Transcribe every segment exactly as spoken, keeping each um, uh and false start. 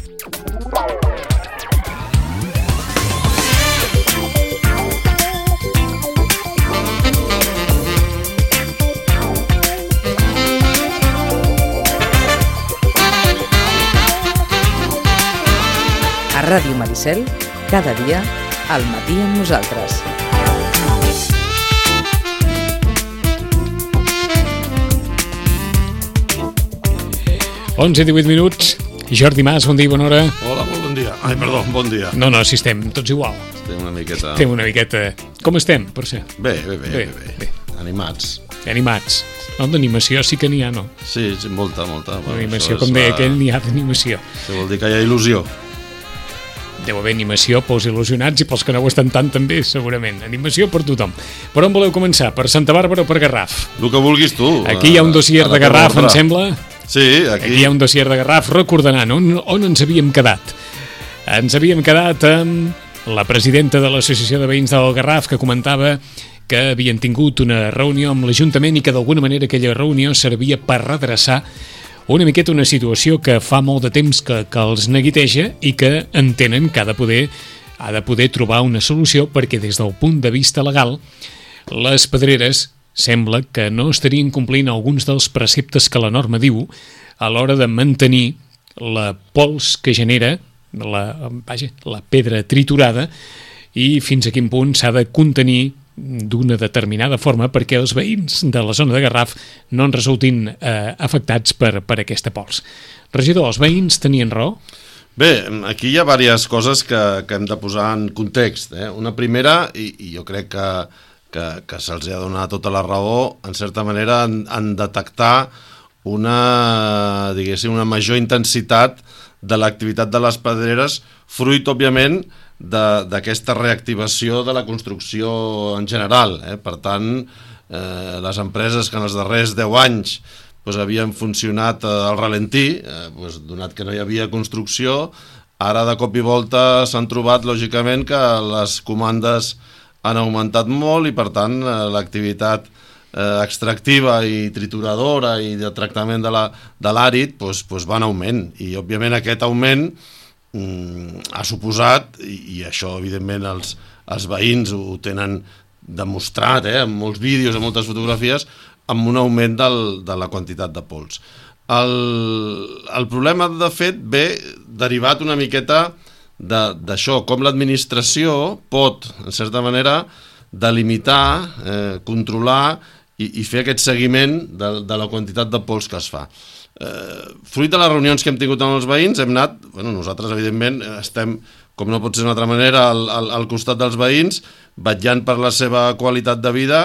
A Ràdio Maricel, cada dia, al matí amb nosaltres. onze i divuit minuts. Jordi Mas, bon dia, bona hora. Hola, molt bon dia. Ai, perdó, bon dia. No, no, si estem tots igual. Estem una miqueta... Estem una miqueta... Com estem, per ser? Bé, bé, bé, Bé, bé, bé. Animats. Animats. No, d'animació sí que n'hi ha, no? Sí, sí, molta, molta. Bueno, D'animació, això és com deia la- aquell, n'hi ha d'animació. Això vol dir que hi ha il·lusió. Deu haver animació pels il·lusionats i pels que no ho estan tant també, segurament. Animació per tothom. Per on voleu començar? Per Santa Bàrbara o per Garraf? El que vulguis tu. Aquí hi ha un dossier A la de Garraf, teva em ordre. sembla. Sí, aquí... Aquí hi ha un dossier de Garraf recordanant on, on ens havíem quedat. Ens havíem quedat amb la presidenta de l'Associació de Veïns del Garraf, que comentava que havien tingut una reunió amb l'Ajuntament i que d'alguna manera aquella reunió servia per redreçar una miqueta una situació que fa molt de temps que, que els neguiteja i que entenen que ha de poder ha de poder trobar una solució perquè des del punt de vista legal les pedreres sembla que no estarien complint alguns dels preceptes que la norma diu a l'hora de mantenir la pols que genera la, vaja, la pedra triturada i fins a quin punt s'ha de contenir d'una determinada forma perquè els veïns de la zona de Garraf no en resultin eh, afectats per, per aquesta pols. Regidor, els veïns tenien raó? Bé, aquí hi ha diverses coses que, que hem de posar en context. Eh? Una primera, i, i jo crec que, que, que se'ls ha donat tota la raó, en certa manera en, en detectar una, diguéssim, una major intensitat de l'activitat de les pedreres, fruit, òbviament, d'aquesta reactivació de la construcció en general. Eh? Per tant, eh, les empreses que en els darrers deu anys pues, havien funcionat eh, al ralentí, eh, pues, donat que no hi havia construcció, ara de cop i volta s'han trobat, lògicament, que les comandes han augmentat molt i, per tant, eh, l'activitat eh, extractiva i trituradora i de tractament de la, de l'àrid pues, pues, va en augment. I, òbviament, aquest augment ha suposat, i, i això evidentment els, els veïns ho tenen demostrat, eh, amb molts vídeos, amb moltes fotografies, amb un augment del, de la quantitat de pols. El, el problema, de fet, ve derivat una miqueta d'això, com l'administració pot, en certa manera, delimitar, eh, controlar i, i fer aquest seguiment de, de la quantitat de pols que es fa. Eh, fruit de les reunions que hem tingut amb els veïns hem anat, bueno, nosaltres evidentment estem, com no pot ser d'una altra manera, al, al, al costat dels veïns, vetllant per la seva qualitat de vida,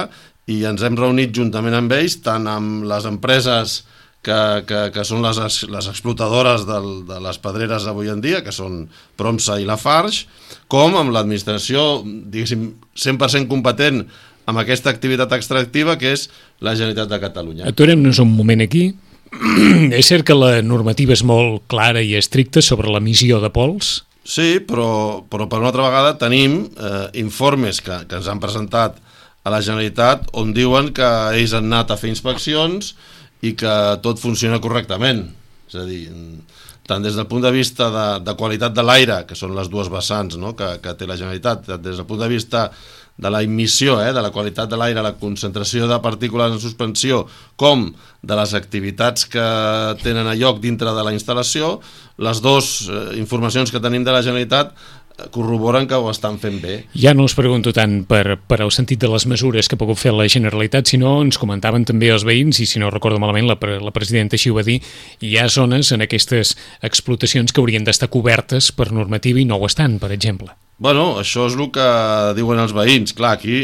i ens hem reunit juntament amb ells, tant amb les empreses que, que, que són les, les explotadores del, de les pedreres avui en dia, que són Promsa i Lafarge, com amb l'administració, diguéssim, cent per cent competent amb aquesta activitat extractiva, que és la Generalitat de Catalunya. Aturem-nos un moment aquí. És cert que la normativa és molt clara i estricta sobre l'emissió de pols? Sí, però, però per una altra vegada tenim eh, informes que, que ens han presentat a la Generalitat on diuen que ells han anat a fer inspeccions i que tot funciona correctament. És a dir, tant des del punt de vista de, de qualitat de l'aire, que són les dues vessants, no?, que, que té la Generalitat, des del punt de vista de la emissió, eh, de la qualitat de l'aire, la concentració de partícules en suspensió, com de les activitats que tenen a lloc dintre de la instal·lació, les dues eh, informacions que tenim de la Generalitat corroboren que ho estan fent bé. Ja no els pregunto tant per, per el sentit de les mesures que ha pogut fer la Generalitat, sinó ens comentaven també els veïns, i si no recordo malament la, la presidenta així ho va dir, hi ha zones en aquestes explotacions que haurien d'estar cobertes per normativa i no ho estan, per exemple. Bueno, això és el que diuen els veïns. Clar, aquí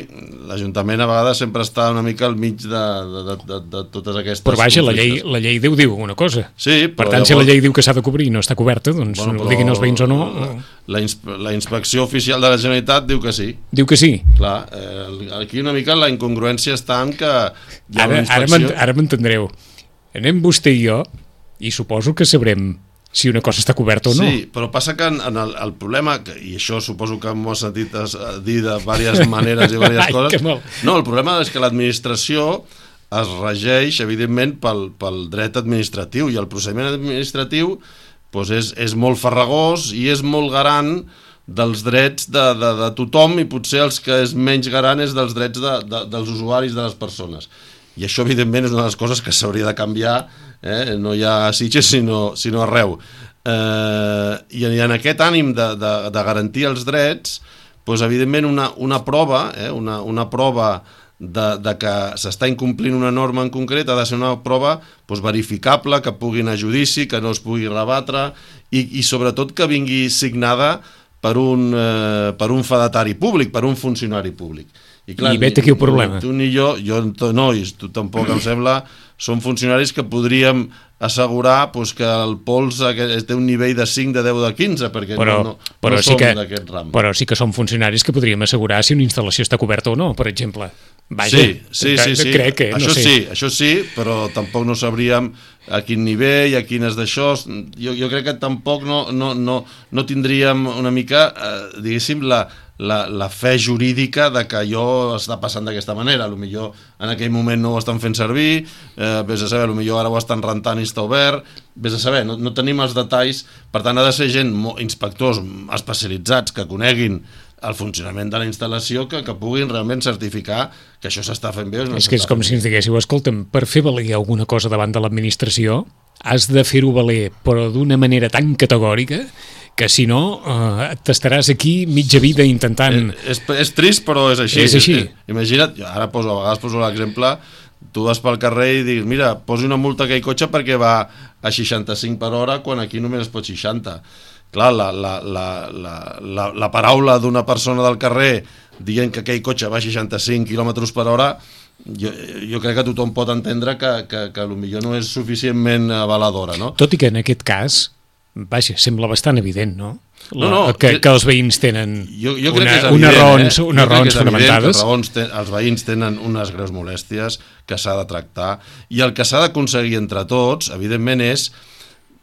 l'Ajuntament a vegades sempre està una mica al mig de, de, de, de, de totes aquestes Però vaja, la llei, conflictes. la llei Déu diu una cosa. Sí, per però tant, llavors... si la llei diu que s'ha de cobrir i no està coberta, doncs Bueno, no diguin els veïns o no. La, inspe la inspecció oficial de la Generalitat diu que sí. Diu que sí. Clar, eh, aquí una mica la incongruència està en que hi ha Ara, una inspecció... ara m'entendreu. Anem vostè i jo i suposo que sabrem si una cosa està coberta o no. Sí, però passa que en, en el, el problema, que, i això suposo que m'ho has sentit es, dir de diverses maneres i diverses Ai, coses, mal. no, el problema és que l'administració es regeix, evidentment, pel, pel dret administratiu, i el procediment administratiu doncs és, és molt farragós i és molt garant dels drets de, de, de tothom, i potser els que és menys garant és dels drets de, de, dels usuaris, de les persones. I això, evidentment, és una de les coses que s'hauria de canviar, eh? No hi ha a Sitges, sinó, sinó arreu. Eh, i, I en aquest ànim de, de, de garantir els drets, doncs, evidentment, una, una prova, eh? una, una prova de, de que s'està incomplint una norma en concret ha de ser una prova doncs, verificable, que pugui anar a judici, que no es pugui rebatre, i, i sobretot que vingui signada per un, eh, per un fedatari públic, per un funcionari públic. I, clar, I vet aquí el problema. Tu ni jo, jo no, i tu tampoc, em sembla, són funcionaris que podríem assegurar pues, que el pols té un nivell de cinc, de deu, de quinze, perquè però, no, no, però no sí som que, d'aquest ram. Però sí que són funcionaris que podríem assegurar si una instal·lació està coberta o no, per exemple. Vaja, sí, sí, sí, sí. Crec que, això no sé. sí, això sí, però tampoc no sabríem a quin nivell, a quines d'això. Jo, jo crec que tampoc no, no, no, no tindríem una mica, eh, diguéssim, la, la, la fe jurídica de que allò està passant d'aquesta manera. Potser en aquell moment no ho estan fent servir, eh, vés a saber, potser ara ho estan rentant i està obert, vés a saber, no, no tenim els detalls. Per tant, ha de ser gent, inspectors especialitzats que coneguin el funcionament de la instal·lació, que, que puguin realment certificar que això s'està fent bé. No és que és com si ens diguéssiu, escolta'm, per fer valer alguna cosa davant de l'administració has de fer-ho valer, però d'una manera tan categòrica que si no eh, t'estaràs aquí mitja vida intentant... És, és, és trist, però és així. És així. Imagina't, ara poso, a vegades poso l'exemple, tu vas pel carrer i digues, mira, posi una multa a aquell cotxe perquè va a seixanta-cinc per hora quan aquí només es pot seixanta. Clar, la, la, la, la, la, la paraula d'una persona del carrer dient que aquell cotxe va a seixanta-cinc quilòmetres per hora, jo, jo crec que tothom pot entendre que, que, que potser no és suficientment avaladora, no? Tot i que en aquest cas, vaja, sembla bastant evident, no? La, no, no que, que els veïns tenen jo, jo crec una, que és evident, unes raons, eh? unes raons fonamentades. Raons ten, els veïns tenen unes greus molèsties que s'ha de tractar, i el que s'ha d'aconseguir entre tots, evidentment, és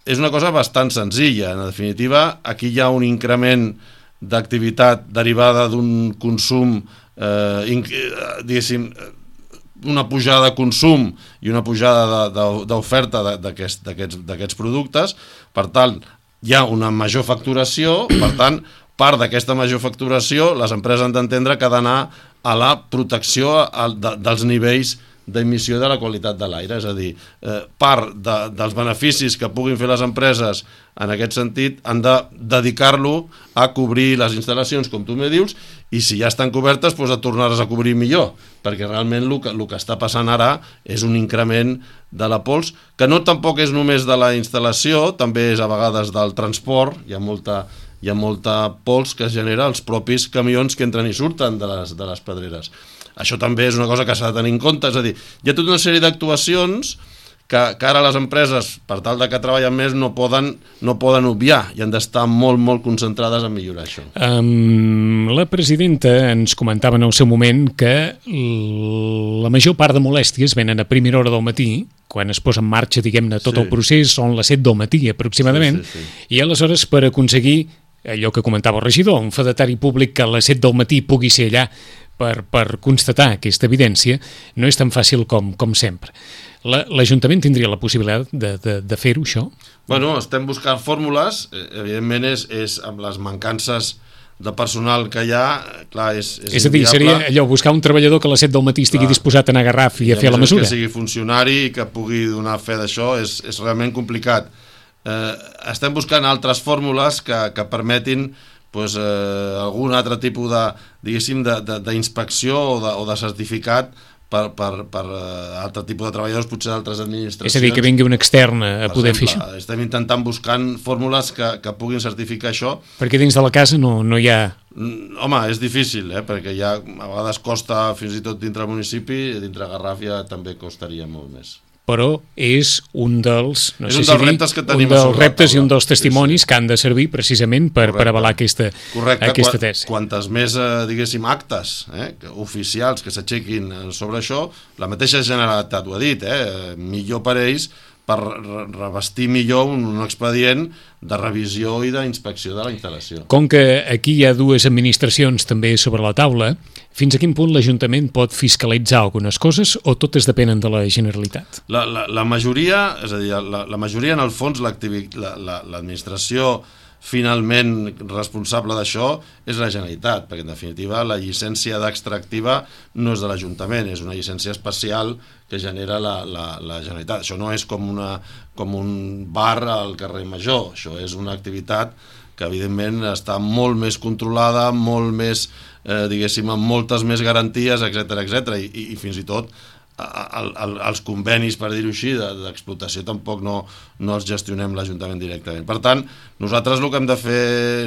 és una cosa bastant senzilla. En definitiva, aquí hi ha un increment d'activitat derivada d'un consum, eh, diguéssim, una pujada de consum i una pujada d'oferta d'aquests productes. Per tant, hi ha una major facturació, per tant, part d'aquesta major facturació les empreses han d'entendre que ha d'anar a la protecció dels nivells d'emissió de la qualitat de l'aire, és a dir, eh, part de, dels beneficis que puguin fer les empreses en aquest sentit han de dedicar-lo a cobrir les instal·lacions, com tu me dius, i si ja estan cobertes, doncs a tornar-les a cobrir millor, perquè realment el que, el que està passant ara és un increment de la pols, que no tampoc és només de la instal·lació, també és a vegades del transport, hi ha molta, hi ha molta pols que es genera als propis camions que entren i surten de les, de les pedreres. Això també és una cosa que s'ha de tenir en compte, és a dir, hi ha tota una sèrie d'actuacions que, que ara les empreses, per tal de que treballen més, no poden, no poden obviar i han d'estar molt, molt concentrades en millorar això. Um, la presidenta ens comentava en el seu moment que la major part de molèsties venen a primera hora del matí, quan es posa en marxa, diguem-ne, tot sí. El procés, són les set del matí aproximadament, sí, sí, sí. I aleshores per aconseguir allò que comentava el regidor, un fedatari públic que a les set del matí pugui ser allà per, per constatar aquesta evidència, no és tan fàcil com, com sempre. L'Ajuntament tindria la possibilitat de, de, de fer-ho, això? Bueno, estem buscant fórmules, evidentment és, és amb les mancances de personal que hi ha, clar, és, és, és a dir, inviable. Seria allò, buscar un treballador que a les set del matí estigui clar. Disposat a anar a Garraf i, I a fer la mesura. Que sigui funcionari i que pugui donar fe d'això és, és realment complicat. Eh, estem buscant altres fórmules que, que permetin pues, eh, algun altre tipus de, diguéssim, d'inspecció o, de, o de certificat per, per, per uh, altre tipus de treballadors, potser d'altres administracions. És a dir, que vingui un extern a poder exemple, fer això. Estem intentant buscant fórmules que, que puguin certificar això. Perquè dins de la casa no, no hi ha... Home, és difícil, eh? Perquè ja a vegades costa fins i tot dintre del municipi, i dintre Garraf ja també costaria molt més. Però és un dels, no és sé un si dels dir, reptes que tenim un dels reptes i un dels testimonis sí, sí. que han de servir precisament per, per avalar aquesta, aquesta tesi. Quantes més, diguéssim, actes eh, oficials que s'aixequin sobre això, la mateixa Generalitat ho ha dit, eh, millor per ells, per revestir millor un, un expedient de revisió i d'inspecció de la instal·lació. Com que aquí hi ha dues administracions també sobre la taula, fins a quin punt l'Ajuntament pot fiscalitzar algunes coses o totes depenen de la Generalitat? La, la, la majoria, és a dir, la, la majoria en el fons l'administració la, la, finalment responsable d'això és la Generalitat, perquè en definitiva la llicència d'extractiva no és de l'Ajuntament, és una llicència especial que genera la, la, la Generalitat. Això no és com, una, com un bar al carrer Major, això és una activitat que evidentment està molt més controlada, molt més, eh, diguéssim, amb moltes més garanties, etcètera, etcètera, i, i, i fins i tot El, el, els convenis, per dir-ho així, d'explotació tampoc no, no els gestionem l'Ajuntament directament. Per tant, nosaltres el que hem de fer,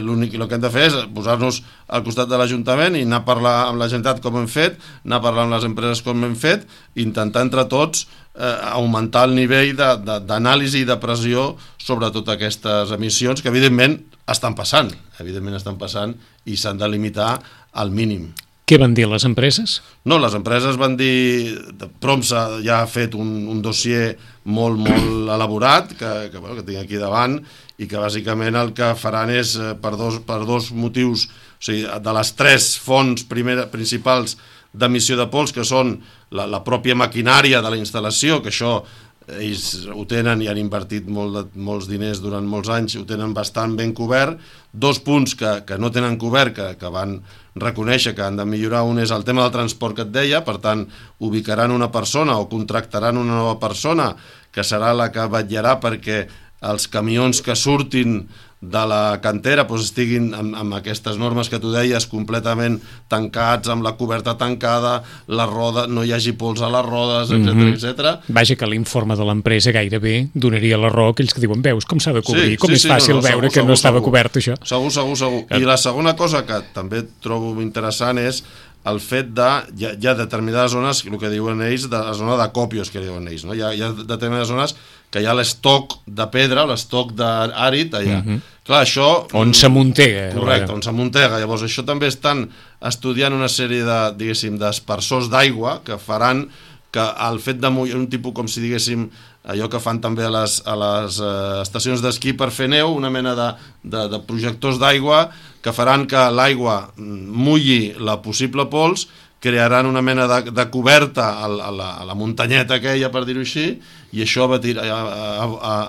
l'únic el que hem de fer és posar-nos al costat de l'Ajuntament i anar a parlar amb la Generalitat com hem fet, anar a parlar amb les empreses com hem fet, i intentar entre tots eh, augmentar el nivell d'anàlisi i de pressió sobre totes aquestes emissions que evidentment estan passant, evidentment estan passant i s'han de limitar al mínim. Què van dir les empreses? No, les empreses van dir... Promsa ja ha fet un, un dossier molt, molt elaborat, que, que, bueno, que tinc aquí davant, i que bàsicament el que faran és, per dos, per dos motius, o sigui, de les tres fonts primera, principals d'emissió de pols, que són la, la pròpia maquinària de la instal·lació, que això ells ho tenen i han invertit molt de, molts diners durant molts anys, ho tenen bastant ben cobert. Dos punts que, que no tenen cobert, que, que van reconèixer que han de millorar, un és el tema del transport que et deia, per tant ubicaran una persona o contractaran una nova persona que serà la que vetllarà perquè els camions que surtin de la cantera doncs estiguin amb, amb aquestes normes que tu deies completament tancats, amb la coberta tancada, la roda, no hi hagi pols a les rodes, etcètera, mm-hmm. etcètera. Vaja, que l'informe de l'empresa gairebé donaria la raó a aquells que diuen, veus com s'ha de cobrir, sí, com sí, és sí, fàcil no, no, veure segur, que segur, no estava segur. cobert això. Segur, segur, segur. I la segona cosa que també trobo interessant és el fet de, hi ha, hi ha determinades zones, el que diuen ells, de la zona de còpios que diuen ells, no? Hi ha, hi ha determinades zones que hi ha l'estoc de pedra, l'estoc d'àrid allà. Mm-hmm. Clar, això... On s'amuntega. Correcte, on s'amuntega. Llavors, això també estan estudiant una sèrie de, diguéssim, d'espersors d'aigua que faran que el fet de mullar un tipus, com si diguéssim, allò que fan també a les, a les eh, estacions d'esquí per fer neu, una mena de, de, de projectors d'aigua que faran que l'aigua mulli la possible pols, crearan una mena de, de coberta a la, a, la, a la muntanyeta aquella, per dir-ho així, i això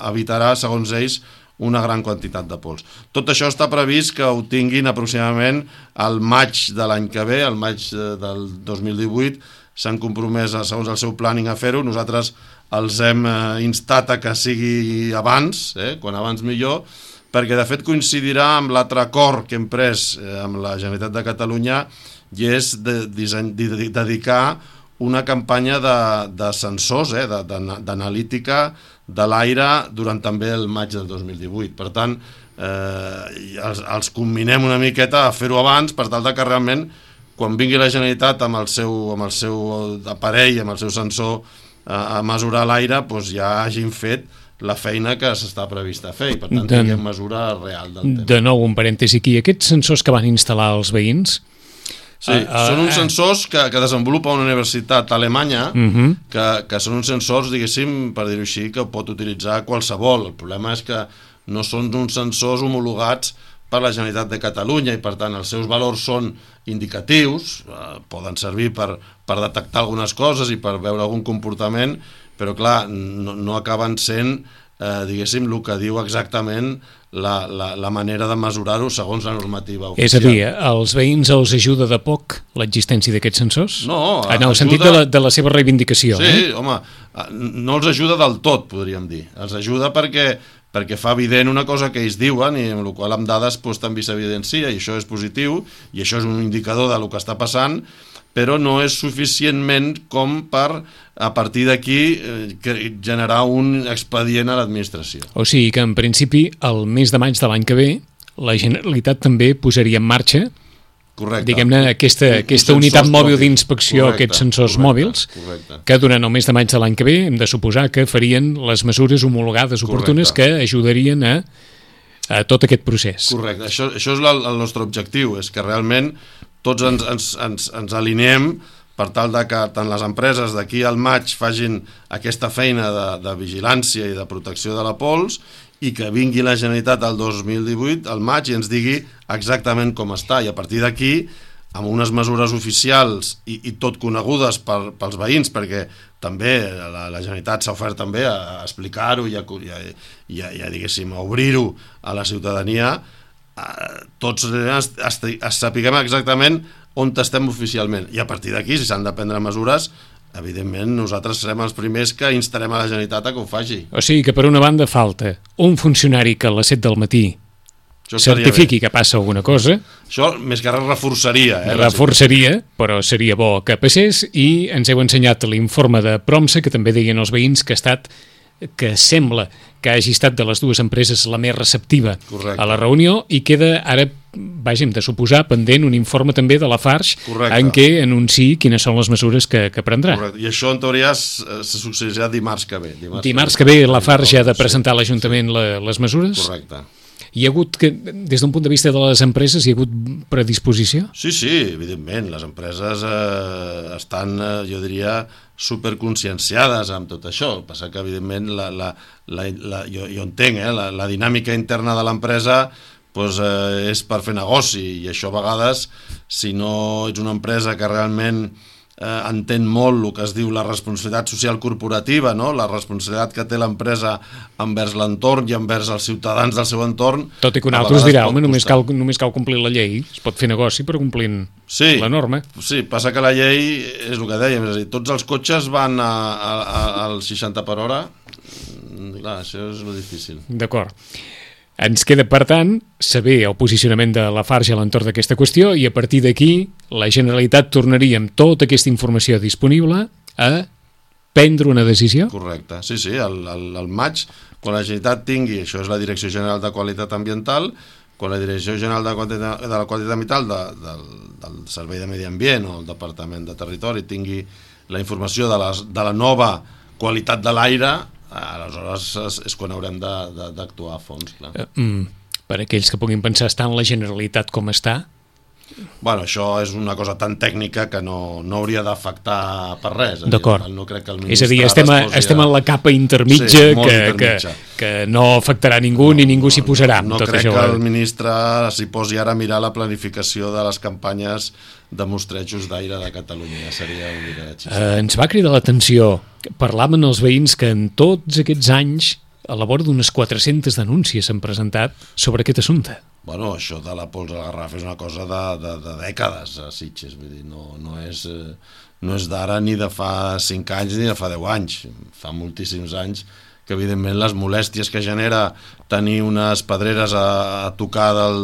evitarà, segons ells, una gran quantitat de pols. Tot això està previst que ho tinguin aproximadament al maig de l'any que ve, al maig del dos mil divuit, s'han compromès, segons el seu planning, a fer-ho. Nosaltres els hem instat a que sigui abans, eh? Quan abans millor, perquè de fet coincidirà amb l'altre acord que hem pres amb la Generalitat de Catalunya, i és de, disseny, de, de dedicar una campanya de, de sensors, eh, d'analítica de l'aire durant també el maig del dos mil divuit. Per tant, eh, els, els combinem una miqueta a fer-ho abans, per tal de que realment, quan vingui la Generalitat amb el seu, amb el seu aparell, amb el seu sensor a, a mesurar l'aire, doncs ja hagin fet la feina que s'està prevista a fer, i per tant de, tinguem mesura real del tema. De nou, un parèntesi aquí, aquests sensors que van instal·lar els veïns... Sí, uh, uh, són uns sensors que, que desenvolupa una universitat alemanya, uh-huh. que, que són uns sensors, diguéssim, per dir-ho així, que pot utilitzar qualsevol. El problema és que no són uns sensors homologats per la Generalitat de Catalunya i, per tant, els seus valors són indicatius, eh, poden servir per, per detectar algunes coses i per veure algun comportament, però, clar, no, no acaben sent, eh, diguéssim, el que diu exactament La, la, la manera de mesurar-ho segons la normativa oficial. És a dir, als veïns els ajuda de poc l'existència d'aquests sensors? No, en el ajuda... sentit de la, de la seva reivindicació. Sí, eh? home, no els ajuda del tot, podríem dir. Els ajuda perquè, perquè fa evident una cosa que ells diuen, i amb la qual amb dades doncs, també s'evidencia, i això és positiu, i això és un indicador del que està passant, però no és suficientment com per, a partir d'aquí, eh, generar un expedient a l'administració. O sigui que, en principi, el mes de maig de l'any que ve, la Generalitat també posaria en marxa, correcte, diguem-ne, aquesta, aquesta unitat mòbil d'inspecció, aquests sensors correcte, mòbils, correcte. Que durant el mes de maig de l'any que ve hem de suposar que farien les mesures homologades oportunes correcte. Que ajudarien a, a tot aquest procés. Correcte, això, això és la, el nostre objectiu, és que realment tots ens, ens, ens, ens alineem per tal de que tant les empreses d'aquí al maig facin aquesta feina de, de vigilància i de protecció de la pols, i que vingui la Generalitat al dos mil divuit, al maig, i ens digui exactament com està, i a partir d'aquí, amb unes mesures oficials i, i tot conegudes per, pels veïns, perquè també la, la Generalitat s'ha ofert també a, a explicar-ho i a, i, a, i, a, i a, diguéssim, a obrir-ho a la ciutadania, eh, tots es, es, es sapiguem exactament on estem oficialment, i a partir d'aquí, si s'han de prendre mesures, evidentment nosaltres serem els primers que instarem a la Generalitat a que ho faci. O sigui que per una banda falta un funcionari que a les set del matí certifiqui que passa alguna cosa. Això més que res reforçaria. Eh, reforçaria, però seria bo que passés, i ens heu ensenyat l'informe de Promsa, que també deien els veïns que ha estat, que sembla que hagi estat de les dues empreses la més receptiva. Correcte. A la reunió, i queda ara, vaja, hem de suposar, pendent un informe també de la Farx. Correcte. En què anunciï quines són les mesures que, que prendrà. Correcte. I això en teoria se succeirà dimarts que ve. Dimarts, dimarts que ve la Farx ja ha de presentar a l'Ajuntament sí. les mesures. Correcte. Hi ha hagut, que, des d'un punt de vista de les empreses, hi ha hagut predisposició? Sí, sí, evidentment. Les empreses eh, estan, eh, jo diria, superconscienciades amb tot això. El que passa que, evidentment, la, la, la, la, jo, jo entenc, eh, la, la dinàmica interna de l'empresa pues, eh, és per fer negoci, i això a vegades, si no ets una empresa que realment eh, entén molt el que es diu la responsabilitat social corporativa, no? La responsabilitat que té l'empresa envers l'entorn i envers els ciutadans del seu entorn. Tot i que un altre us dirà, home, només cal, només cal complir la llei, es pot fer negoci però complint sí, la norma. Sí, passa que la llei és el que dèiem, és a dir, tots els cotxes van a, a, a, al seixanta per hora, clar, això és lo difícil. D'acord. Ens queda, per tant, saber el posicionament de la Farx a l'entorn d'aquesta qüestió, i a partir d'aquí la Generalitat tornaria amb tota aquesta informació disponible a prendre una decisió? Correcte, sí, sí, al, al, al maig, quan la Generalitat tingui, això és la Direcció General de Qualitat Ambiental, quan la Direcció General de, Qualitat, de la Qualitat Ambiental de, del, del Servei de Medi Ambient o el Departament de Territori tingui la informació de, les, de la nova qualitat de l'aire, aleshores és, és quan haurem d'actuar a fons. Clar. Mm, per aquells que puguin pensar, està en la Generalitat com està? Bueno, això és una cosa tan tècnica que no, no hauria d'afectar per res. D'acord. No crec que el és a dir, estem, a, estem en la capa intermitja, sí, que, intermitja. Que, que no afectarà ningú no, ni ningú s'hi posarà. No, no, no crec això. Que el ministre s'hi posi ara a mirar la planificació de les campanyes de mostrejos d'aire de Catalunya. Ja seria un mica de xista. Eh, ens va cridar l'atenció. Parlaven els veïns que en tots aquests anys a la vora d'unes quatre-centes denúncies s'han presentat sobre aquest assumpte. Bueno, això de la pols al Garraf és una cosa de, de, de dècades a Sitges, vull dir, no, no és, no és d'ara ni de fa cinc anys ni de fa deu anys, fa moltíssims anys que evidentment les molèsties que genera tenir unes pedreres a, a tocar del,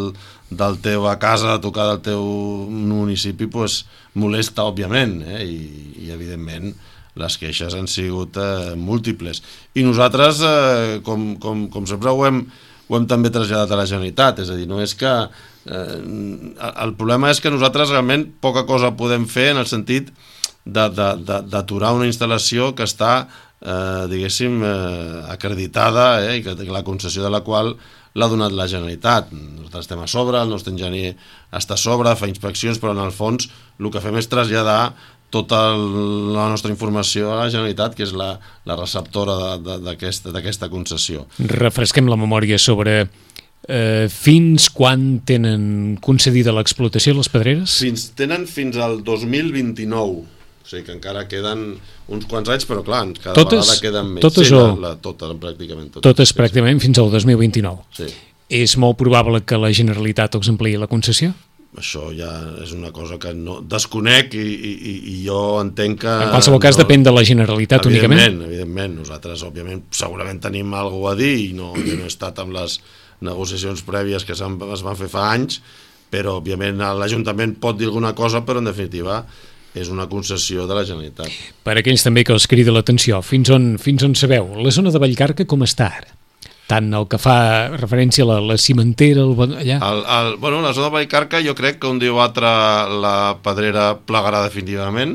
del teu a casa, a tocar del teu municipi, pues, molesta òbviament, eh? I, i evidentment les queixes han sigut eh, múltiples. I nosaltres, eh, com, com, com sempre ho hem, ho hem també traslladat a la Generalitat, és a dir, no és que... Eh, el problema és que nosaltres realment poca cosa podem fer en el sentit d'aturar una instal·lació que està, eh, diguéssim, eh, acreditada, eh, i que la concessió de la qual l'ha donat la Generalitat. Nosaltres estem a sobre, el nostre enginyer està a sobre, fa inspeccions, però en el fons el que fem és traslladar tota la nostra informació a la Generalitat, que és la, la receptora d'aquesta concessió. Refresquem la memòria sobre eh, fins quan tenen concedida l'explotació les pedreres? Fins, tenen fins al dos mil vint-i-nou, o sigui que encara queden uns quants anys, però clar, cada totes, vegada queden més. Totes sí, o... la, la, totes, pràcticament. Totes, totes pràcticament fins al dos mil vint-i-nou. Sí. És molt probable que la Generalitat els ampliï la concessió? Això ja és una cosa que no desconec i, i, i jo entenc que... En qualsevol cas no, depèn de la Generalitat únicament? Evidentment, evidentment. Nosaltres, òbviament, segurament tenim alguna a dir i no, jo no he estat amb les negociacions prèvies que es van fer fa anys, però, òbviament, l'Ajuntament pot dir alguna cosa, però, en definitiva, és una concessió de la Generalitat. Per aquells també que els crida l'atenció, fins on, fins on sabeu? La zona de Vallcarca com està ara? Tant el que fa referència a la, la cimentera, el, allà? El, el, bueno, la zona de Vallcarca jo crec que un dia o altre la pedrera plegarà definitivament,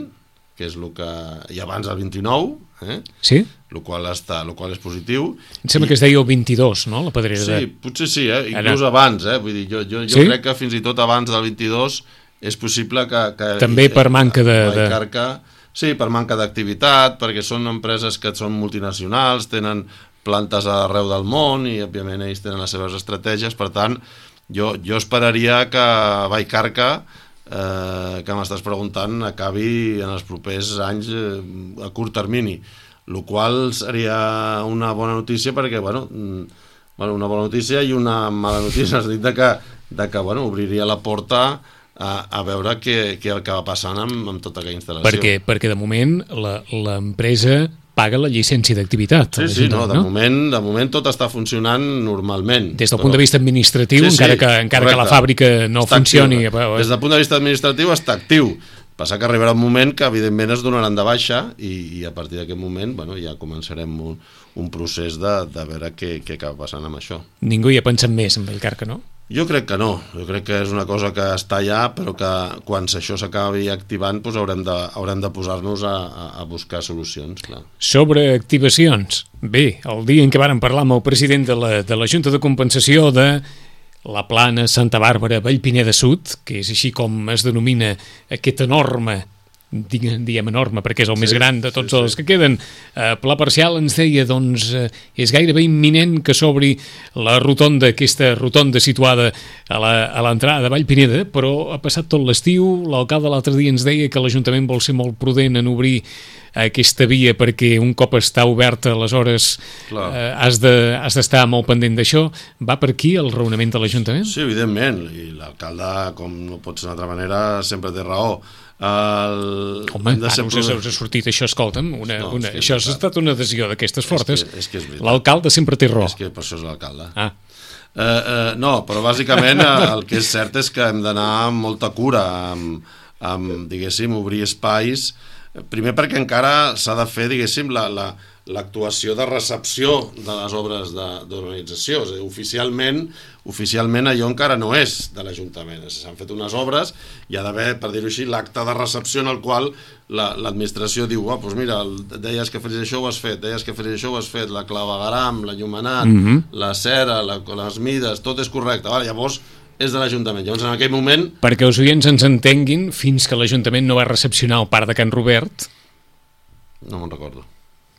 que és el que hi ha abans del vint-i-nou, eh? Sí? El qual, està, el qual és positiu. Em sembla I... que es deia el vint-i-dos, no?, la pedrera. Sí, de... potser sí, eh? Inclús Ara. abans, eh? Vull dir, jo, jo, jo sí? crec que fins i tot abans del vint-i-dos és possible que... que També per manca de... Vallcarca, sí, per manca d'activitat, perquè són empreses que són multinacionals, tenen plantes arreu del món i, òbviament, ells tenen les seves estratègies. Per tant, jo, jo esperaria que Vallcarca, eh, que m'estàs preguntant, acabi en els propers anys eh, a curt termini, el qual seria una bona notícia perquè, bueno, bueno, una bona notícia i una mala notícia, és a dir, de que, de que bueno, obriria la porta a, a veure què, què el que va passant amb, amb tota aquella instal·lació. Perquè, perquè de moment l'empresa paga la llicència d'activitat. Sí, sí, no, de, no? Moment, de moment tot està funcionant normalment. Des del però... punt de vista administratiu, sí, sí, encara, que, encara que la fàbrica no està funcioni... Actiu. Des del punt de vista administratiu està actiu. Passa que arribarà un moment que evidentment es donaran de baixa i, i a partir d'aquest moment, bueno, ja començarem un, un procés de, de veure què, què acaba passant amb això. Ningú hi ha pensat més en Vallcarca, no? Jo crec que no, jo crec que és una cosa que està allà, però que quan això s'acabi activant doncs haurem de, haurem de posar-nos a, a buscar solucions, clar. Sobre activacions, bé, el dia en què vàrem parlar amb el president de la, de la Junta de Compensació de la Plana Santa Bàrbara Vallpineda Sud, que és així com es denomina aquest enorme, diguem, diguem enorme perquè és el sí, més gran de tots sí, els sí. que queden, eh, Pla Parcial, ens deia, doncs, eh, és gairebé imminent que s'obri la rotonda, aquesta rotonda situada a l'entrada de Vallpineda, però ha passat tot l'estiu, l'alcalde l'altre dia ens deia que l'Ajuntament vol ser molt prudent en obrir aquesta via perquè un cop està oberta aleshores eh, has de, has d'estar molt pendent d'això. Va per aquí el raonament de l'Ajuntament? Sí, evidentment, i l'alcalde, com no pot ser d'una altra manera, sempre té raó. El... Home, ara us, us ha sortit això, escolta'm, una, no, una, això ha estat una adhesió d'aquestes fortes. És que, és que l'alcalde sempre té raó. És que per això és l'alcalde. Ah. Eh, eh, no, però bàsicament el que és cert és que hem d'anar amb molta cura, amb, amb diguéssim, obrir espais. Primer perquè encara s'ha de fer, diguéssim, la, la, l'actuació de recepció de les obres d'urbanització. És a dir, oficialment, oficialment allò encara no és de l'Ajuntament. S'han fet unes obres i ha d'haver, per dir-ho així, l'acte de recepció en el qual l'administració diu, oh, doncs mira, deies que faries això, ho has fet, deies que faries això, ho has fet, la clavegaram, l'enllumenat, mm-hmm. la cera, la, les mides, tot és correcte. Vale, llavors és de l'Ajuntament. Llavors, en aquell moment... Perquè els oients ens entenguin, fins que l'Ajuntament no va recepcionar el parc de Can Robert... No me'n recordo.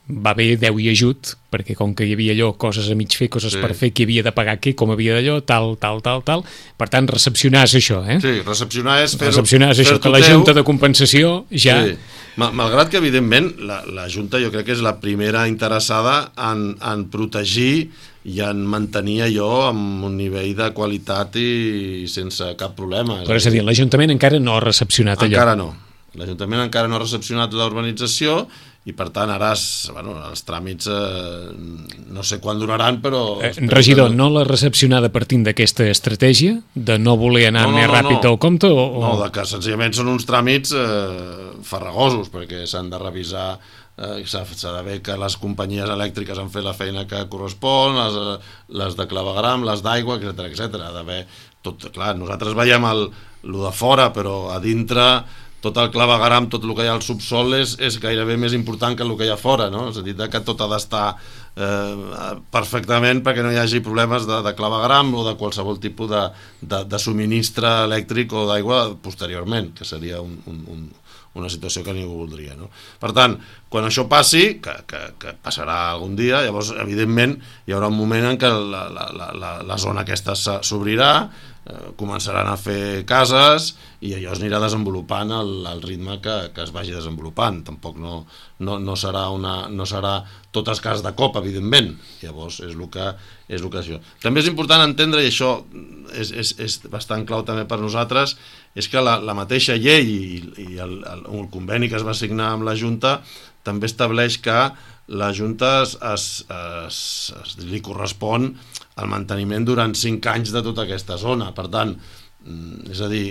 Va haver deu i ajut, perquè com que hi havia allò, coses a mig fer, coses sí. per fer, qui havia de pagar què, com havia d'allò, tal, tal, tal, tal... Per tant, recepcionar és això, eh? Sí, recepcionar és fer-ho... Recepcionar és això, que la Junta de Compensació ja... Sí. Malgrat que, evidentment, la, la Junta jo crec que és la primera interessada en, en protegir i en mantenir allò amb un nivell de qualitat i sense cap problema. Però és a dir, l'Ajuntament encara no ha recepcionat allò. Encara no. L'Ajuntament encara no ha recepcionat la urbanització i, per tant, ara es, bueno, els tràmits eh, no sé quan duraran, però... Eh, regidor, no l'ha recepcionada partint d'aquesta estratègia de no voler anar no, no, més no, ràpid no. del compte? O, o... No, de que senzillament són uns tràmits eh, farragosos, perquè s'han de revisar... Eh, s'ha d'haver que les companyies elèctriques han fet la feina que correspon, les, les de clavegram, les d'aigua, etcètera, etcètera. Ha d'haver tot, clar, nosaltres veiem el, el de fora, però a dintre tot el clavegram, tot el que hi ha al subsol és, és gairebé més important que el que hi ha fora, no? És a dir, que tot ha d'estar eh, perfectament perquè no hi hagi problemes de, de clavegram o de qualsevol tipus de, de, de subministre elèctric o d'aigua posteriorment, que seria un, un, un una situació que ningú voldria, no? Per tant, quan això passi, que, que, que passarà algun dia, llavors, evidentment, hi haurà un moment en què la, la, la, la zona aquesta s'obrirà, eh, començaran a fer cases i allò es anirà desenvolupant al, al ritme que, que es vagi desenvolupant. Tampoc no, no, no serà una, no serà totes cases de cop, evidentment. Llavors, és el que és el que això. També és important entendre, i això és, és, és bastant clau també per nosaltres, és que la, la mateixa llei i, i el, el, el conveni que es va signar amb la Junta també estableix que la Junta es, es, es, es, li correspon el manteniment durant cinc anys de tota aquesta zona. Per tant, és a dir,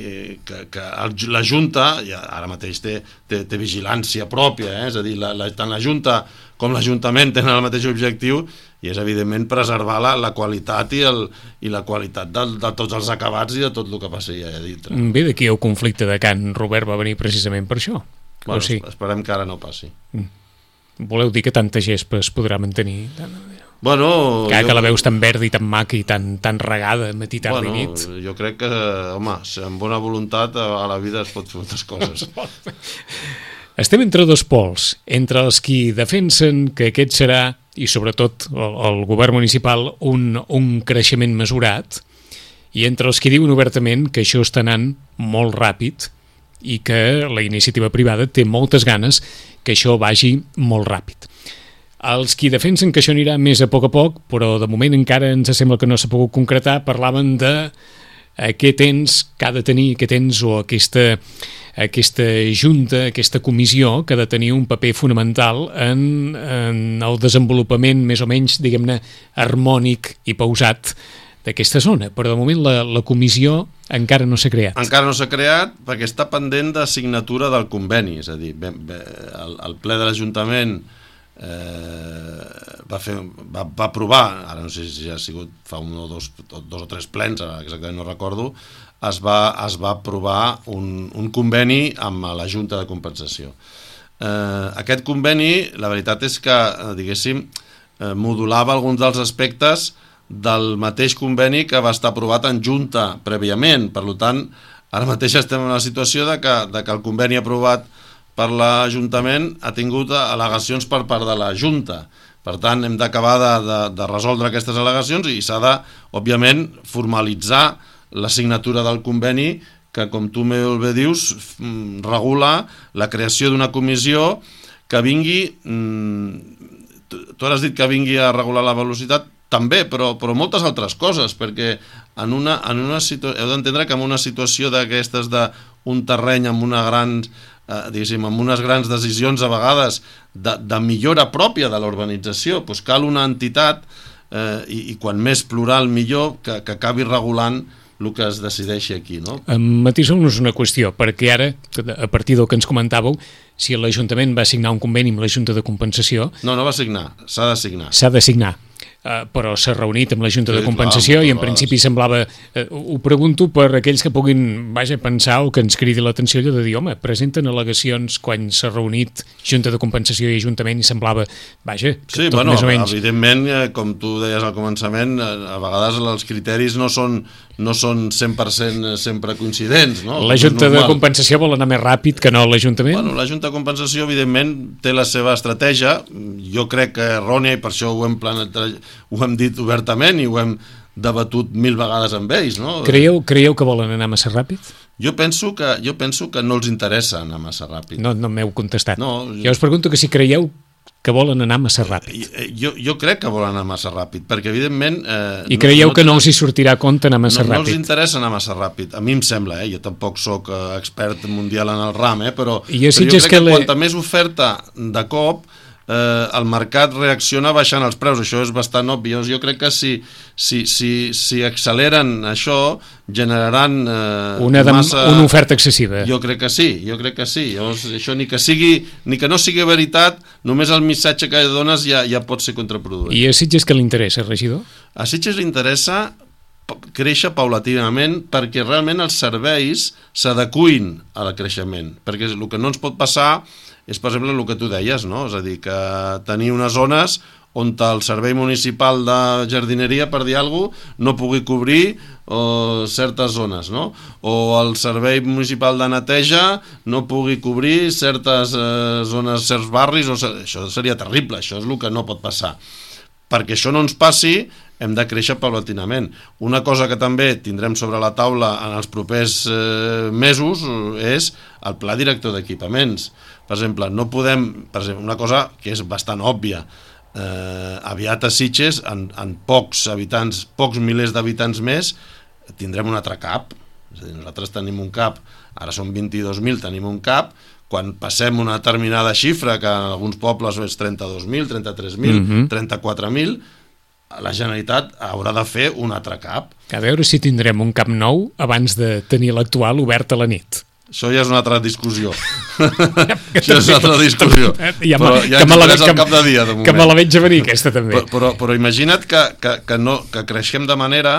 que, que el, la Junta ja ara mateix té, té, té vigilància pròpia, eh? És a dir, la, la, tant la Junta com l'Ajuntament tenen el mateix objectiu i és evidentment preservar la, la qualitat i, el, i la qualitat de, de tots els acabats i de tot el que passi allà dintre. Bé, d'aquí el conflicte de Can Robert va venir precisament per això. Bueno, o sigui, esperem que ara no passi. Voleu dir que tanta gespa es podrà mantenir? Bueno, que, jo... que la veus tan verda i tan maca i tan, tan regada matí, tarda bueno, i nit. Jo crec que, home, amb bona voluntat a la vida es pot fer moltes coses. Estem entre dos pols, entre els qui defensen que aquest serà, i sobretot el, el govern municipal, un, un creixement mesurat, i entre els que diuen obertament que això està anant molt ràpid i que la iniciativa privada té moltes ganes que això vagi molt ràpid. Els qui defensen que això anirà més a poc a poc, però de moment encara ens sembla que no s'ha pogut concretar, parlaven de eh, què tens, que ha de tenir, què tens, o aquesta, aquesta junta, aquesta comissió que ha de tenir un paper fonamental en, en el desenvolupament més o menys, diguem-ne, harmònic i pausat d'aquesta zona. Però de moment la, la comissió encara no s'ha creat. Encara no s'ha creat perquè està pendent de signatura del conveni, és a dir, bé, bé, el, el ple de l'Ajuntament Eh, va, fer, va, va aprovar, ara no sé si ha sigut fa un o dos, dos o tres plens, exactament no recordo, es va, es va aprovar un, un conveni amb la Junta de Compensació. Eh, aquest conveni, la veritat és que, diguéssim, eh, modulava alguns dels aspectes del mateix conveni que va estar aprovat en Junta prèviament. Per tant, ara mateix estem en la situació de que, de que el conveni aprovat per l'Ajuntament ha tingut al·legacions per part de la Junta. Per tant, hem d'acabar de, de, de resoldre aquestes al·legacions i s'ha de, òbviament, formalitzar la signatura del conveni que, com tu molt bé dius, regula la creació d'una comissió que vingui... Tu ara has dit que vingui a regular la velocitat, també, però, però moltes altres coses, perquè en una, en una situ... heu d'entendre que en una situació d'aquestes d'un terreny amb una gran... Eh, diguéssim, amb unes grans decisions a vegades de, de millora pròpia de l'urbanització, doncs cal una entitat eh, i, i quan més plural millor que, que acabi regulant el que es decideixi aquí, no? Matiseu-nos una qüestió, perquè ara, a partir del que ens comentàveu, si l'Ajuntament va signar un conveni amb la Junta de Compensació... No, no va signar, s'ha de signar. S'ha de signar. Uh, però s'ha reunit amb la Junta sí, de Compensació clar, i en clar, principi sí. semblava... Uh, ho pregunto per aquells que puguin vaja, pensar o que ens cridi l'atenció allò de dir, home, presenten al·legacions quan s'ha reunit Junta de Compensació i Ajuntament i semblava, vaja, que sí, tot bueno, més o menys... evidentment, com tu deies al començament, a vegades els criteris no són, no són cent per cent sempre coincidents, no? La Junta de Compensació vol anar més ràpid que no l'Ajuntament? Bueno, la Junta de Compensació, evidentment, té la seva estratègia, jo crec que errònia i per això ho hem planejat, ho hem dit obertament i ho hem debatut mil vegades amb ells, no? Creieu, creieu que volen anar massa ràpid? Jo penso que, jo penso que no els interessa anar massa ràpid. No, no m'heu contestat. No, jo us pregunto que si creieu que volen anar massa ràpid. Jo, jo crec que volen anar massa ràpid, perquè evidentment... Eh, I creieu no, no que no els hi sortirà a compte anar massa no, ràpid? No els interessa anar massa ràpid, a mi em sembla, eh? Jo tampoc sóc eh, expert mundial en el ram, eh? però, I jo, però jo crec que, que le... quanta més oferta de cop, eh, el mercat reacciona baixant els preus, això és bastant obvi. Jo crec que si, si, si, si acceleren això, generaran eh, una, de, massa... una oferta excessiva. Jo crec que sí, jo crec que sí. Llavors, això ni que sigui, ni que no sigui veritat, només el missatge que dones ja, ja pot ser contraproduent. I a Sitges què li interessa, regidor? A Sitges li interessa créixer paulatinament perquè realment els serveis s'adecuïn al creixement, perquè el que no ens pot passar és, per exemple, el que tu deies, no? És a dir, que tenir unes zones on el servei municipal de jardineria, per dir alguna cosa, no pugui cobrir o, certes zones, no? O el servei municipal de neteja no pugui cobrir certes eh, zones, certs barris, o, això seria terrible, això és el que no pot passar. Perquè això no ens passi, hem de créixer paulatinament. Una cosa que també tindrem sobre la taula en els propers eh, mesos és el pla director d'equipaments. Per exemple, no podem, per exemple, una cosa que és bastant òbvia, eh, aviat a Sitges, en, en pocs habitants, pocs milers d'habitants més, tindrem un altre CAP. És a dir, nosaltres tenim un CAP, ara són vint-i-dos mil, tenim un CAP, quan passem una determinada xifra, que en alguns pobles és trenta-dos mil, trenta-tres mil, mm-hmm. trenta-quatre mil, la Generalitat haurà de fer un altre CAP. A veure si tindrem un CAP nou abans de tenir l'actual obert a la nit. Això ja és una altra discussió. Això és una altra discussió. Ja però ja ens interessa el cap de dia, de moment. Que me la veig a venir, aquesta també. Però, però, però imagina't que, que, que, no, que creixem de manera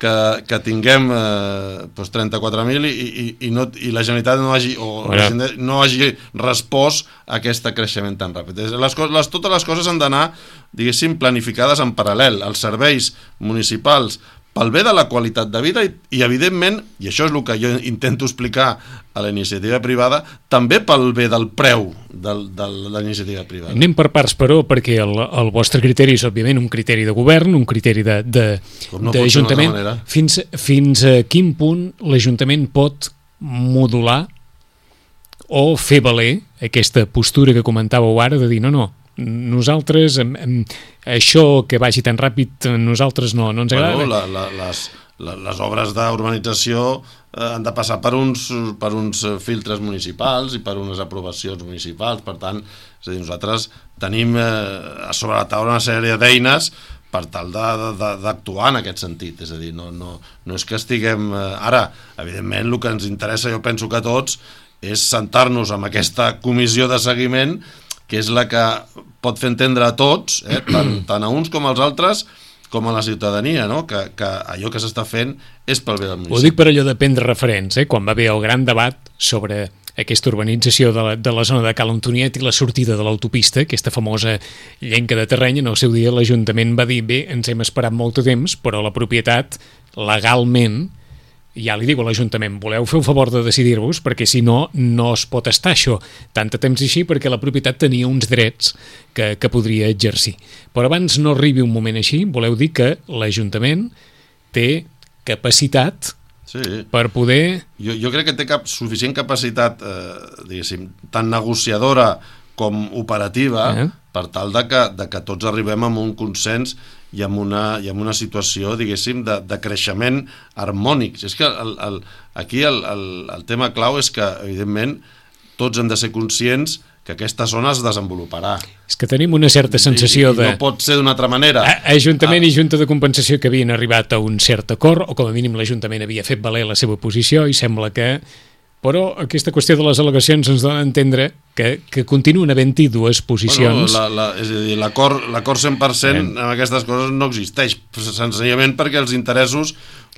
que, que tinguem eh, doncs trenta-quatre mil i, i, i, no, i la Generalitat no hagi, o la Generalitat no hagi respost a aquest creixement tan ràpid. Les, les, totes les coses han d'anar, diguéssim, planificades en paral·lel. Els serveis municipals pel bé de la qualitat de vida i, i evidentment, i això és el que jo intento explicar a la iniciativa privada, també pel bé del preu del, de la iniciativa privada. Anem per parts, però, perquè el, el vostre criteri és, òbviament, un criteri de govern, un criteri d'Ajuntament. No fins, fins a quin punt l'Ajuntament pot modular o fer valer aquesta postura que comentàveu ara de dir, no, no, nosaltres, em, em, això que vagi tan ràpid, nosaltres no, no ens agrada. Bueno, la, la, les, la, les obres d'urbanització eh, han de passar per uns, per uns filtres municipals i per unes aprovacions municipals. Per tant, és a dir, nosaltres tenim eh, a sobre la taula una sèrie d'eines per tal d'actuar en aquest sentit. És a dir, no, no, no és que estiguem... Eh, ara, evidentment, el que ens interessa, jo penso que a tots, és sentar-nos amb aquesta comissió de seguiment, que és la que pot fer entendre a tots, eh, tant, tant a uns com als altres, com a la ciutadania, no? que, que allò que s'està fent és pel bé del municipi. Ho dic per allò de prendre referents, eh? Quan va haver el gran debat sobre aquesta urbanització de la, de la zona de Cal Antoniet i la sortida de l'autopista, aquesta famosa llenca de terreny, en el seu dia l'Ajuntament va dir, bé, ens hem esperat molt de temps, però la propietat, legalment, ja li dic a l'Ajuntament, voleu fer un favor de decidir-vos, perquè si no, no es pot estar això tant de temps així, perquè la propietat tenia uns drets que, que podria exercir. Però abans no arribi un moment així, voleu dir que l'Ajuntament té capacitat sí. per poder... Jo, jo crec que té cap, suficient capacitat, eh, diguéssim, tant negociadora com operativa, eh? per tal de que, de que tots arribem a un consens i amb una, i amb una situació, diguéssim, de, de creixement harmònic. És que el, el, aquí el, el, el tema clau és que, evidentment, tots hem de ser conscients que aquesta zona es desenvoluparà. És que tenim una certa sensació I, i de... no pot ser d'una altra manera. A, Ajuntament ah. i Junta de Compensació que havien arribat a un cert acord, o com a mínim l'Ajuntament havia fet valer la seva posició, i sembla que... Però aquesta qüestió de les al·legacions ens dona a entendre que, que continuen havent-hi dues posicions. Bueno, la, la, és a dir, l'acord l'acord cent per cent en aquestes coses no existeix, senzillament perquè els interessos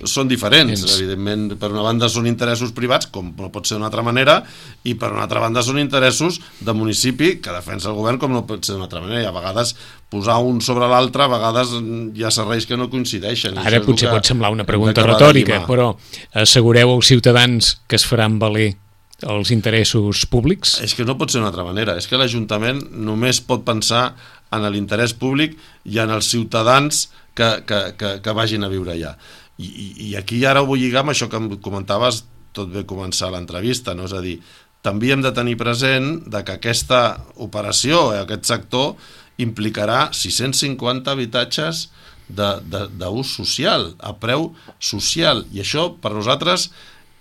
són diferents. Ens... Evidentment, per una banda són interessos privats, com no pot ser d'una altra manera, i per una altra banda són interessos de municipi que defensa el govern, com no pot ser d'una altra manera. I a vegades posar un sobre l'altre, a vegades hi ha serveis que no coincideixen. Ara potser pot semblar una pregunta retòrica, però assegureu als ciutadans que es faran valer els interessos públics? És que no pot ser d'una altra manera. És que l'Ajuntament només pot pensar en l'interès públic i en els ciutadans que, que, que, que vagin a viure allà. I, i, i aquí ara ho vull lligar amb això que em comentaves tot bé començar l'entrevista, no? És a dir, també hem de tenir present de que aquesta operació, aquest sector, implicarà sis-cents cinquanta habitatges d'ús social, a preu social, i això per nosaltres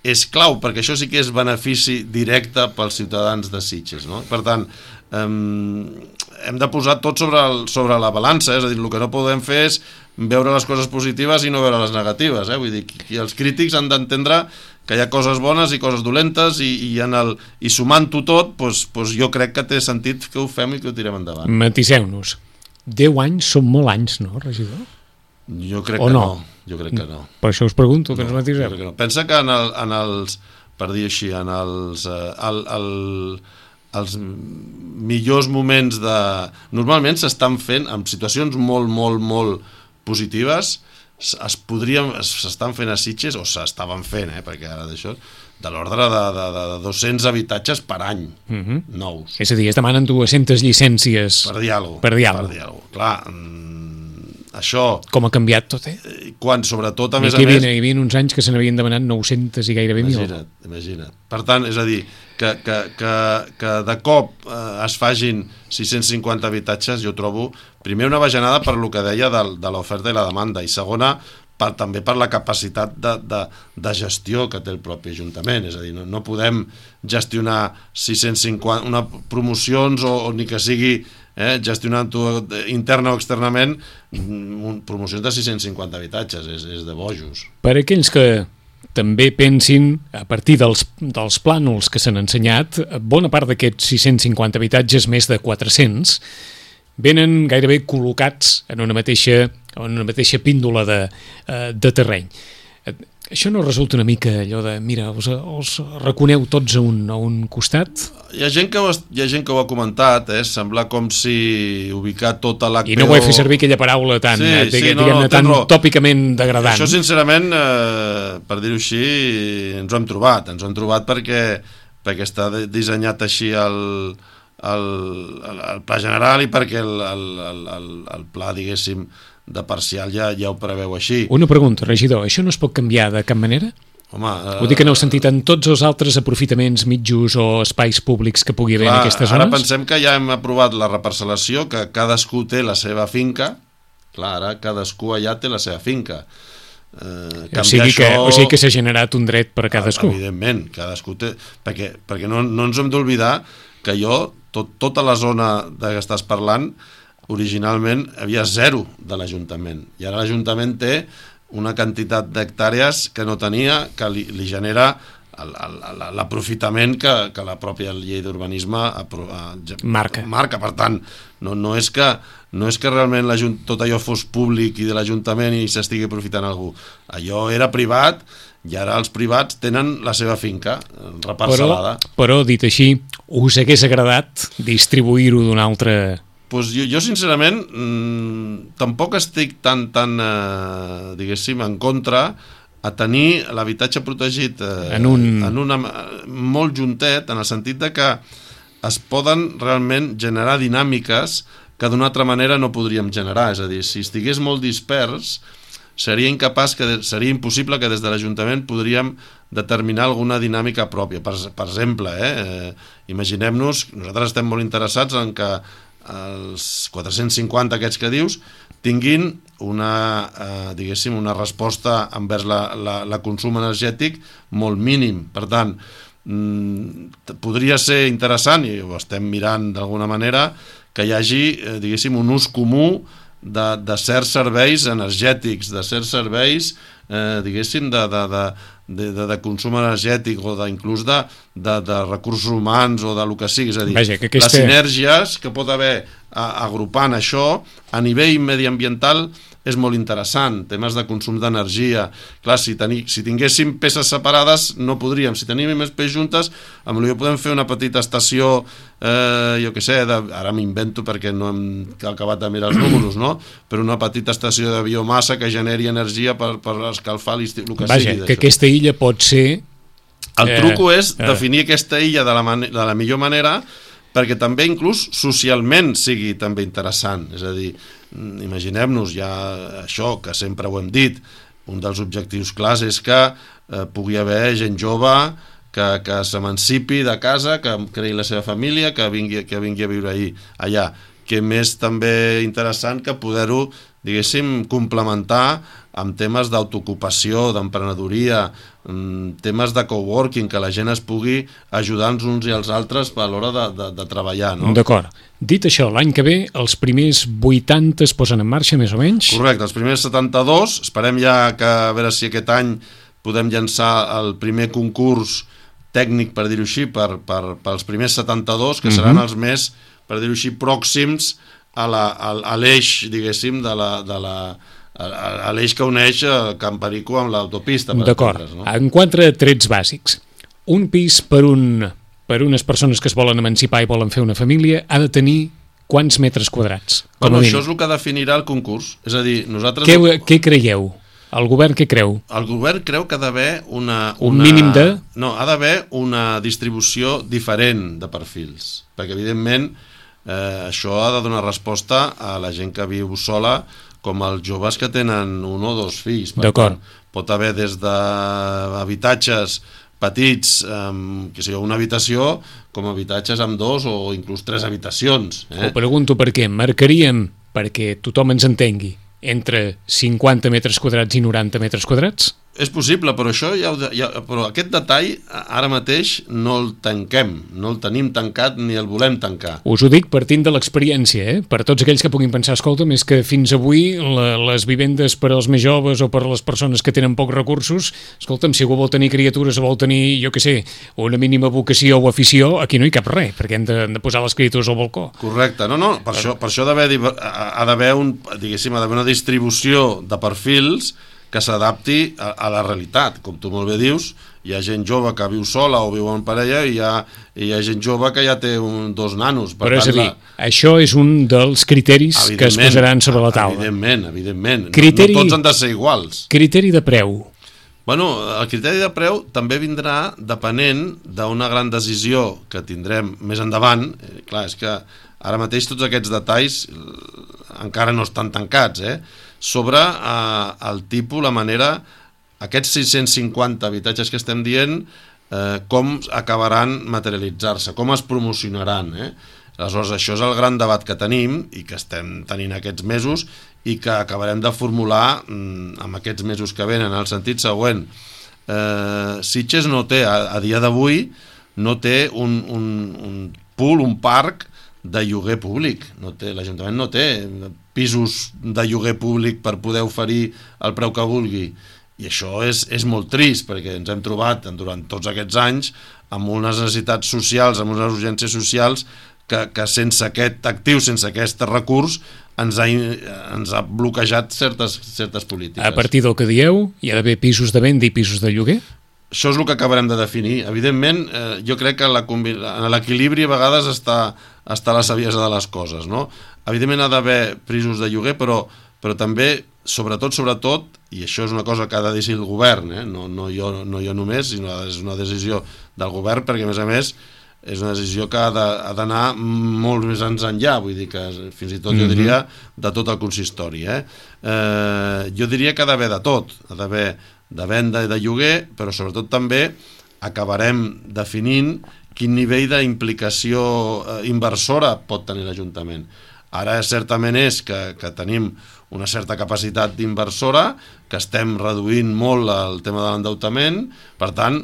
és clau, perquè això sí que és benefici directe pels ciutadans de Sitges, no? Per tant, eh, hem de posar tot sobre, el, sobre la balança, és a dir, el que no podem fer és veure les coses positives i no veure les negatives, eh? Vull dir, que els crítics han d'entendre que hi ha coses bones i coses dolentes i, i, en el, i sumant-ho tot, doncs, doncs jo crec que té sentit que ho fem i que ho tirem endavant. Matiseu-nos. Deu anys són molt anys, no, regidor? Jo crec o que no? no. Jo crec que no. Per això us pregunto, que no, ens matiseu. Que no. Pensa que en, el, en els, per dir així, en els, eh, el, el, els millors moments de... Normalment s'estan fent, en situacions molt, molt, molt positives, es podrien, s'estan fent a Sitges, o s'estaven fent, eh, perquè ara d'això, de l'ordre de, de, de dos-cents habitatges per any, uh-huh. nous. És a dir, es demanen dues-centes llicències per dir alguna cosa. Per dir alguna cosa. Per dir alguna cosa. Clar, això... Com ha canviat tot, eh? Quan, sobretot, a més a més... més... Hi havia uns anys que se n'havien demanat nou-centes i gairebé mil. Imagina't, imagina't. Per tant, és a dir, que, que, que, que de cop eh, es fagin sis-cents cinquanta habitatges, jo trobo, primer, una bajanada per lo que deia de, de l'oferta i la demanda, i segona, per, també per la capacitat de, de, de gestió que té el propi Ajuntament. És a dir, no, no podem gestionar sis-cents cinquanta una promocions o, o ni que sigui eh, gestionant-ho interna o externament, promocions de sis-cents cinquanta habitatges, és, és de bojos. Per aquells que també pensin, a partir dels, dels plànols que s'han ensenyat, bona part d'aquests sis-cents cinquanta habitatges, més de quatre-cents, venen gairebé col·locats en una mateixa, en una mateixa píndola de, de terreny. Això no resulta una mica allò de, mira, us, us reconeu tots a un, a un costat? Hi ha gent que ho, hi ha gent que ho ha comentat, eh? Sembla com si ubicar tota l'H P O... I no vull fer servir aquella paraula tan, sí, eh, sí, diguem, no, no, tan raó. tòpicament degradant. Això, sincerament, eh, per dir-ho així, ens ho hem trobat. Ens ho hem trobat perquè, perquè està dissenyat així el, el, el, el pla general i perquè el, el, el, el, el pla, diguéssim, de parcial ja, ja ho preveu així. Una pregunta, regidor, això no es pot canviar de cap manera? Home, eh, Ho dic en el sentit en tots els altres aprofitaments mitjos o espais públics que pugui haver clar, en aquestes ara zones? pensem que ja hem aprovat la reparcel·lació, que cadascú té la seva finca. Clar, ara cadascú allà té la seva finca. Eh, o, sigui això... que, o sigui que s'ha generat un dret per a cadascú. Evidentment, cadascú té... Perquè, perquè no, no ens hem d'oblidar que jo, tot, tota la zona de què estàs parlant, originalment havia zero de l'Ajuntament. I ara l'Ajuntament té una quantitat d'hectàrees que no tenia, que li, li genera l'aprofitament que, que la pròpia llei d'urbanisme marca. marca. Per tant, no, no, és que, no és que realment tot allò fos públic i de l'Ajuntament i s'estigui aprofitant algú. Allò era privat i ara els privats tenen la seva finca reparcel·lada. Però, però dit així, us hagués agradat distribuir-ho d'una altra... Pues jo, jo sincerament mmm, tampoc estic tan, tan eh, diguéssim, en contra a tenir l'habitatge protegit eh, en, un... en una, molt juntet, en el sentit de que es poden realment generar dinàmiques que d'una altra manera no podríem generar. És a dir, si estigués molt dispers, seria incapaç, que seria impossible que des de l'Ajuntament podríem determinar alguna dinàmica pròpia. Per, per exemple, eh, eh, imaginem-nos, nosaltres estem molt interessats en que els quatre-cents cinquanta aquests que dius tinguin una, eh, diguéssim, una resposta envers la, la, la consum energètic molt mínim. Per tant, mm, podria ser interessant, i ho estem mirant d'alguna manera, que hi hagi, eh, diguéssim, un ús comú de, de certs serveis energètics, de certs serveis, eh, diguéssim, de, de, de, de, de, de consum energètic o de, inclús de, de, de recursos humans o de lo que sigui. És a dir, Vaja, que aquesta... les sinergies que pot haver a, agrupant això a nivell mediambiental és molt interessant. Temes de consum d'energia. Clar, si, teni, si tinguéssim peces separades no podríem. Si tenim més peces juntes, potser podem fer una petita estació, eh, jo què sé, de, ara m'invento perquè no hem acabat de mirar els números, no? Però una petita estació de biomassa que generi energia per, per escalfar l'estiu, el que Vaja, sigui. que aquesta illa pot ser... El truco eh, és definir eh. aquesta illa de la, man de la millor manera perquè també inclús socialment sigui també interessant. És a dir, imaginem-nos ja això, que sempre ho hem dit, un dels objectius clars és que eh, pugui haver gent jove que, que s'emancipi de casa, que creï la seva família, que vingui, que vingui a viure ahí, allà. Que més també interessant que poder-ho, diguéssim, complementar amb temes d'autoocupació, d'emprenedoria, temes de coworking, que la gent es pugui ajudar els uns i els altres a l'hora de, de, de treballar, no? D'acord. Dit això, l'any que ve els primers vuitanta es posen en marxa, més o menys? Correcte, els primers setanta-dos, esperem ja que a veure si aquest any podem llançar el primer concurs tècnic, per dir-ho així, per, per, pels primers setanta-dos, que seran mm-hmm. els més, per dir-ho així, pròxims a l'eix, diguéssim, de la... De la a l'eix que uneix Can Perico amb l'autopista. D'acord, no? En quatre trets bàsics. Un pis per, un, per unes persones que es volen emancipar i volen fer una família ha de tenir quants metres quadrats? Bueno, això és el que definirà el concurs. És a dir, nosaltres... Què, què creieu? El govern què creu? El govern creu que ha d'haver una, una... Un mínim de... No, ha d'haver una distribució diferent de perfils. Perquè, evidentment, eh, això ha de donar resposta a la gent que viu sola, com els joves que tenen un o dos fills. D'acord. Pot haver des d'habitatges petits, amb, que sigui, una habitació, com habitatges amb dos o inclús tres habitacions. Eh? Ho pregunto per què. Marcaríem, perquè tothom ens entengui, entre cinquanta metres quadrats i noranta metres quadrats? És possible, però això ja, ho, ja però aquest detall ara mateix no el tanquem, no el tenim tancat ni el volem tancar. Us ho dic partint de l'experiència, eh? Per tots aquells que puguin pensar, escolta'm, és que fins avui la, les vivendes per als més joves o per a les persones que tenen pocs recursos, escolta'm, si algú vol tenir criatures o vol tenir, jo què sé, una mínima vocació o afició, aquí no hi cap res, perquè hem de, hem de posar les criatures al balcó. Correcte, no, no, per això, per això ha d'haver ha d'haver un, diguéssim, ha d'haver una distribució de perfils que s'adapti a, a la realitat. Com tu molt bé dius, hi ha gent jove que viu sola o viu en parella i hi ha, hi ha gent jove que ja té un, dos nanos. Per Però tant, és a dir, la... això és un dels criteris que es posaran sobre la taula. Evidentment, evidentment. Criteri... No, no tots han de ser iguals. Criteri de preu. Bueno, el criteri de preu també vindrà depenent d'una gran decisió que tindrem més endavant. Eh, clar, és que ara mateix tots aquests detalls encara no estan tancats, eh? Sobre eh, el tipus, la manera, aquests sis-cents cinquanta habitatges que estem dient, eh, com acabaran materialitzar-se, com es promocionaran, eh? Aleshores, això és el gran debat que tenim i que estem tenint aquests mesos i que acabarem de formular mm, amb aquests mesos que venen, en el sentit següent. Eh, Sitges no té, a, a dia d'avui, no té un, un, un pool, un parc de lloguer públic. No té, l'Ajuntament no té pisos de lloguer públic per poder oferir el preu que vulgui. I això és, és molt trist, perquè ens hem trobat durant tots aquests anys amb unes necessitats socials, amb unes urgències socials que, que sense aquest actiu, sense aquest recurs, ens ha, ens ha bloquejat certes, certes polítiques. A partir del que dieu, hi ha d'haver pisos de venda i pisos de lloguer? Això és el que acabarem de definir. Evidentment, eh, jo crec que la, en l'equilibri a vegades està, està la saviesa de les coses, no? Evidentment ha d'haver pisos de lloguer, però, però també, sobretot, sobretot, i això és una cosa que ha de decidir el govern, eh? no, no, jo, no jo només, sinó és una decisió del govern, perquè a més a més és una decisió que ha d'anar molt més ens enllà, vull dir que fins i tot jo diria de tot el consistori. Eh? Eh, jo diria que ha d'haver de tot, ha d'haver de venda i de lloguer, però sobretot també acabarem definint quin nivell d'implicació inversora pot tenir l'Ajuntament. Ara certament és que, que tenim una certa capacitat d'inversora, que estem reduint molt el tema de l'endeutament, per tant,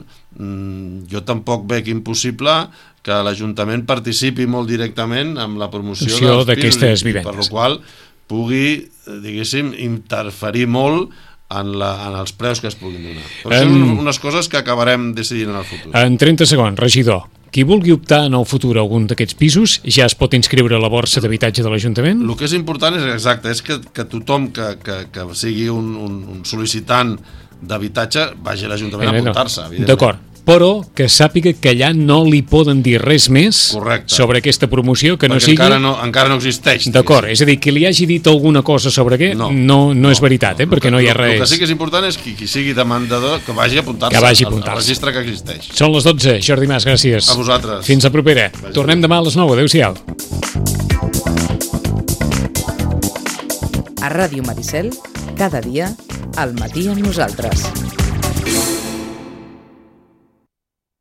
jo tampoc veig impossible que l'Ajuntament participi molt directament amb la promoció d'aquestes vivendes, per la qual pugui, diguéssim, interferir molt en, la, en els preus que es puguin donar. Però en... són unes coses que acabarem decidint en el futur. En trenta segons, regidor, qui vulgui optar en el futur a algun d'aquests pisos ja es pot inscriure a la borsa d'habitatge de l'Ajuntament? El que és important és exacte, és que, que tothom que, que, que sigui un, un, un sol·licitant d'habitatge vagi a l'Ajuntament a apuntar-se. D'acord, però que sàpiga que allà no li poden dir res més Correcte. Sobre aquesta promoció que perquè no sigui... encara no, encara no existeix. D'acord, és a dir, que li hagi dit alguna cosa sobre què no, no, no, no és veritat, eh? Perquè no hi ha res... El que sí que és important és que qui sigui demandador que vagi a apuntar-se que vagi a apuntar-se al, al registre que existeix. Són les dotze, Jordi Mas, gràcies. A vosaltres. Fins la propera. Vagi Tornem demà a les nou, adéu-siau. A Ràdio Maricel, cada dia, al matí amb nosaltres.